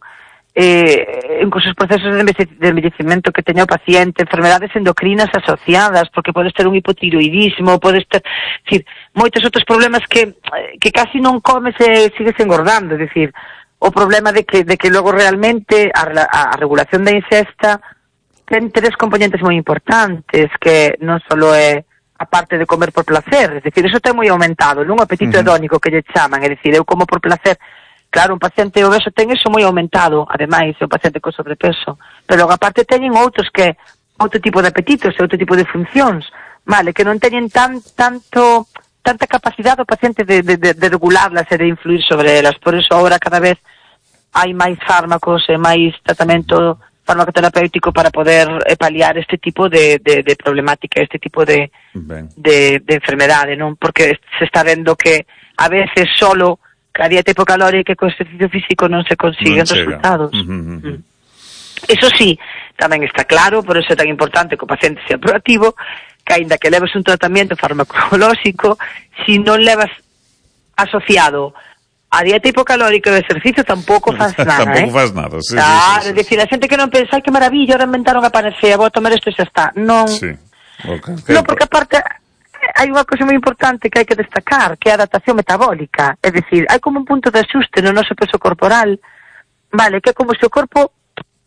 incluso os procesos de envellecemento que teña o paciente, enfermedades endocrinas asociadas, porque podes ter un hipotiroidismo, podes ter, es decir, moitos outros problemas que casi non comes e sigues engordando, es decir, o problema de que logo realmente a regulación da ingesta ten 3 componentes moi importantes, que non só é a parte de comer por placer, es decir, eso ten moi aumentado, non? O apetito hedónico que lle chaman, é dicir, eu como por placer. Claro, un paciente obeso ten eso moi aumentado, ademais, é un paciente con sobrepeso, pero logo aparte teñen outros que outro tipo de apetitos e outro tipo de funcións, vale, que non teñen tanta capacidade o paciente de regularlas e de influir sobre elas. Por eso agora cada vez hai máis fármacos e máis tratamento farmacoterapéutico para poder paliar este tipo de problemática, este tipo de enfermedade, non? Porque se está vendo que a veces solo a dieta hipocalórica e co exercicio físico non se consiguen resultados. Eso sí, tamén está claro, por eso é tan importante que o paciente sea proactivo, que aínda que leves un tratamento farmacolóxico, si non levas asociado a dieta hipocalórica e o exercicio, tampouco faz nada, tampouco faz nada, sí. Claro, é dicir, a xente que non pensa, ai, que maravilla, ahora inventaron a panacea, vou a tomar isto e xa está. Non. Sí. Non, porque aparte hai unha cosa moi importante que hai que destacar, que é a adaptación metabólica. É dicir, hai como un punto de axuste no noso peso corporal, vale, que é como se o corpo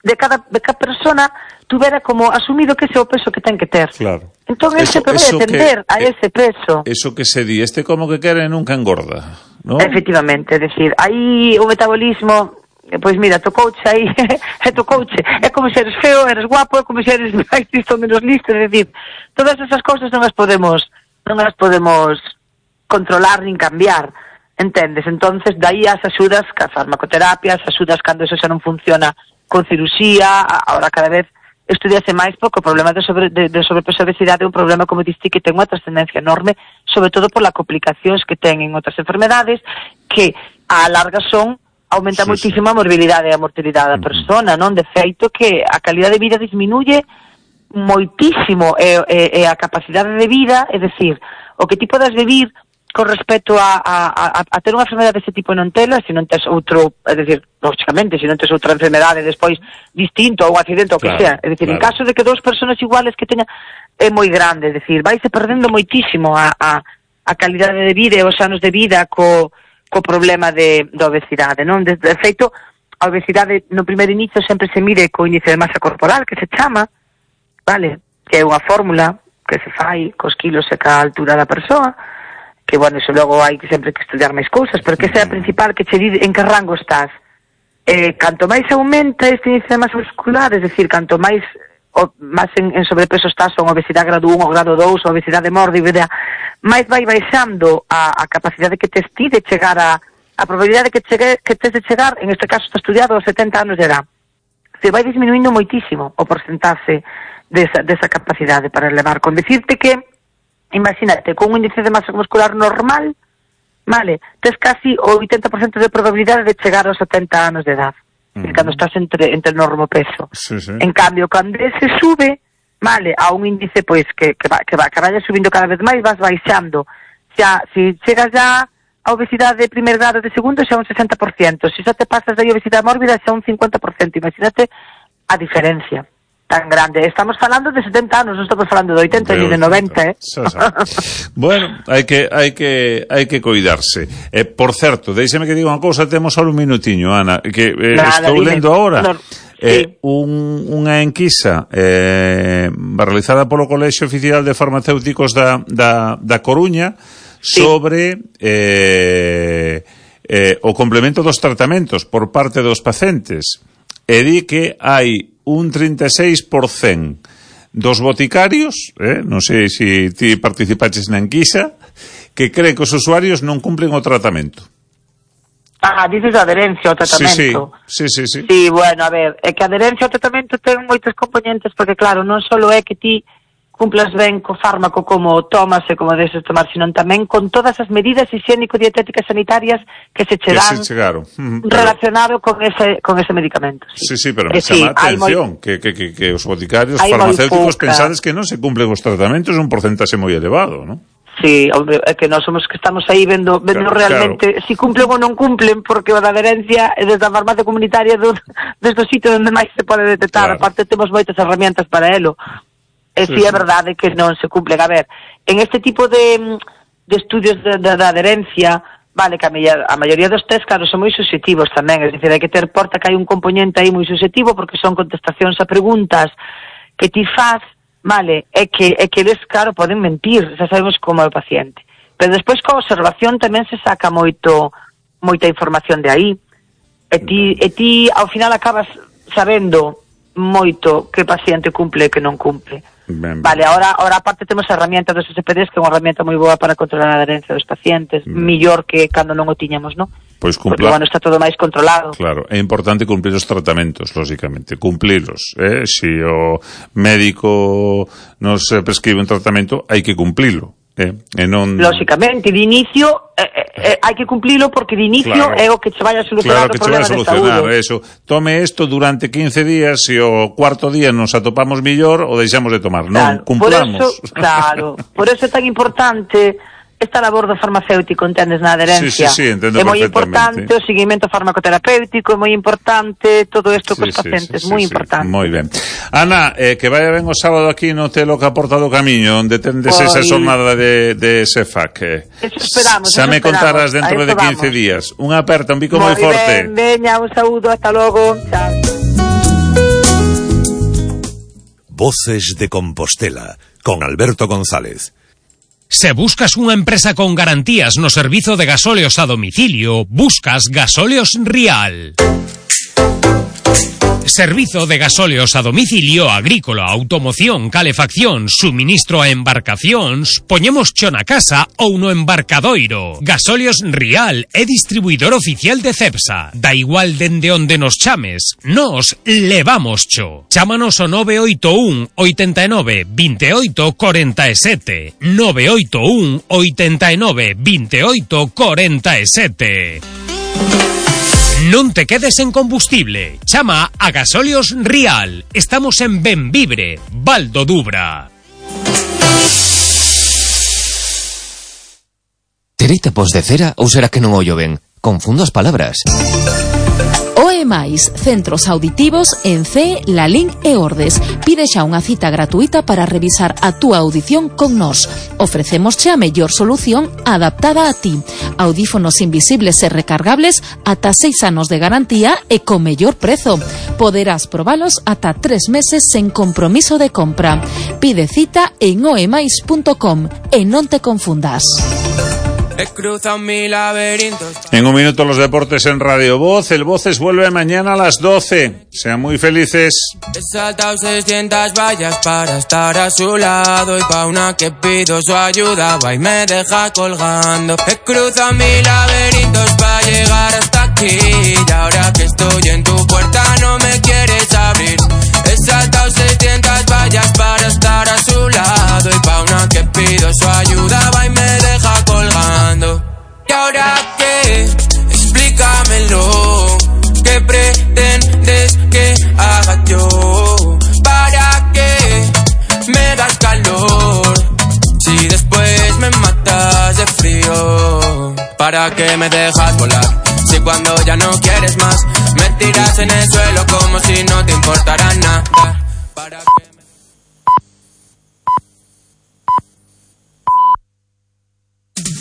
de cada persona tuvera como asumido que ese é o peso que ten que ter. Claro. Entón, ese vai atender a ese peso. Eso que se di, como que quere nunca engorda, ¿no? Efectivamente, é dicir, aí o metabolismo, pois mira, tocouche aí, tocouche. É como se eres feo, eres guapo, é como se eres máis listo ou menos listo, é dicir, todas esas cousas non as podemos controlar nin cambiar, entendes? Entonces, dai as axudas ca farmacoterapia, as axudas cando eso xa non funciona con cirusía, agora cada vez estudiase máis porque o problema de sobrepeso e obesidade é un problema, como diste, que ten unha trascendencia enorme, sobre todo por las complicacións que ten en outras enfermedades, que a larga aumenta moitísimo a morbilidade e a mortalidade da persona, non? De feito que a calidad de vida disminuye moitísimo e a capacidade de vida, é dicir, o que ti podas vivir con respecto a ter unha enfermedade desse tipo non tela, se non tes outro, é dicir, lógicamente, se non tes outra enfermedade despois distinto, ou un accidente, ou que sea, é dicir, en caso de que 2 persoas iguales que teñan, é moi grande, é dicir, vaise perdendo moitísimo a calidade de vida e os anos de vida co problema da obesidade, non? De feito, a obesidade no primeiro inicio sempre se mide co índice de masa corporal, que se chama, vale, que é unha fórmula que se fai cos kilos e ca altura da persoa, que, bueno, iso logo hai sempre que estudiar máis cousas, pero que esa é a principal que che di en que rango estás. Canto máis aumenta este índice de masa muscular, é dicir, canto máis en sobrepeso estás, ou obesidade grado 1 ou grado 2, ou obesidade mórbida, máis vai baixando a capacidade que tes ti de chegar a probabilidade que tes de chegar, en este caso está estudiado aos 70 anos de edad. Se vai disminuindo moitísimo o porcentaxe desa capacidade para elevar. Con decirte que, imagínate, con un índice de masa muscular normal, vale, tes casi o 80% de probabilidade de chegar aos 70 anos de edad. cando estás entre normopeso. Sí. En cambio, cando se sube, vale, a un índice pois que vaya subindo cada vez máis, vas baixando. Xa, se chegas já a obesidade de primer grado, de segundo, xa un 60%. Se xa te pasas de obesidade mórbida, xa un 50%. Imagínate a diferencia tan grande. Estamos falando de 70 anos, non estamos falando de 80 ni de 90, Bueno, hai que cuidarse. Por certo, déixeme que diga unha cousa, temos só un minutiño, Ana, que estou lendo agora. Unha enquisa realizada polo Colexio Oficial de Farmacéuticos da Coruña sobre o complemento dos tratamentos por parte dos pacientes, e di que hai un 36% dos boticarios, non sei se ti participaches na enquisa, que creen que os usuarios non cumplen o tratamento. Dices a adherencia ao tratamento. Sí. Sí, bueno, a ver, é que a adherencia ao tratamento ten moitos componentes, porque claro, non só é que ti cumplas ben co fármaco como tomas e como deses tomar, sino tamén con todas as medidas higiénico-dietéticas sanitarias que se che dan relacionado con ese medicamento. Sí, pero me chama a atención que os boticarios farmacéuticos pensades que non se cumplen os tratamentos, un porcentaxe moi elevado, non? Sí, hombre, é que nós somos que estamos aí vendo realmente si cumplen ou non cumplen, porque a adherencia é desde a farmacia comunitaria desde o sitio onde máis se pode detectar. Aparte temos moitas herramientas para elo. E si é verdade que non se cumplen. A ver, en este tipo de estudios de adherencia, vale, que a maioría dos test, claro, son moi subjetivos tamén, é dicir, hai que ter porta que hai un componente aí moi subjetivo, porque son contestacións a preguntas que ti faz, vale, é que eles, claro, poden mentir, xa sabemos como é o paciente. Pero despois coa observación tamén se saca moita información de aí, e ti ao final acabas sabendo moito que paciente cumple e que non cumple. Vale, ahora aparte temos a herramienta dos SPDs, que é unha herramienta moi boa para controlar a adherencia dos pacientes, mellor que cando non o tiñamos, non? Pois porque, bueno, está todo máis controlado. Claro, é importante cumplir os tratamentos, lógicamente, cumplilos, Se o médico nos prescribe un tratamento, hai que cumplilo. Lógicamente, de inicio hai que cumplilo, porque de inicio é o que che vai a solucionar o problema de saúde. Eso. Tome isto durante 15 días, e o cuarto día nos atopamos millor, o deixamos de tomar, non cumplamos. Por eso é tan importante esta labor do farmacéutico, entendes, na adherencia. Sí, entendo perfectamente. É moi importante o seguimento farmacoterapéutico, é moi importante todo isto cos pacientes, moi importante. Moi ben. Ana, que vaya ben o sábado aquí no Telo que aporta do camiño, onde tendes esa xornada de SEFAC. Eso esperamos. Xa me contarás dentro de 15 días. Unha aperta, un bico moi forte. Veña, un saúdo, hasta logo. Chao. Voces de Compostela, con Alberto González. Se buscas unha empresa con garantías no servizo de gasóleos a domicilio, buscas Gasóleos Rial. Servizo de gasóleos a domicilio, agrícola, automoción, calefacción, suministro a embarcacións, poñemos cho na casa ou no embarcadoiro. Gasóleos Rial é distribuidor oficial de Cepsa. Da igual dende onde nos chames, nos levamos cho. Chámanos ao 981 89 28 47. 981 89 28 47. Non te quedes en combustible. Chama a Gasóleos Rial. Estamos en Benvibre, Val do Dubra. Terei tapos de cera ou será que non ollo ben? Confundo as palabras. OEMAIS, centros auditivos en CE, Lalín e Ordes. Pide xa unha cita gratuita para revisar a túa audición con nós. Ofrecemos xa a mellor solución adaptada a ti. Audífonos invisibles e recargables ata 6 anos de garantía e con mellor prezo. Poderás probalos ata 3 meses sen compromiso de compra. Pide cita en oemais.com e non te confundas. En un minuto los deportes en Radio Voz. El Voces vuelve mañana a las 12. Sean muy felices. He saltado 600 vallas para estar a su lado, y pa' una que pido su ayuda va y me deja colgando. He cruzado 1000 laberintos para llegar hasta aquí, y ahora que estoy en tu puerta no me quieres abrir. He saltado 600 vallas para estar a su lado, y pa' una que pido su ayuda va y me deja colgando. ¿Y ahora qué? Explícamelo. ¿Qué pretende? frío. ¿Para qué me dejas volar? Si cuando ya no quieres más me tiras en el suelo como si no te importara nada.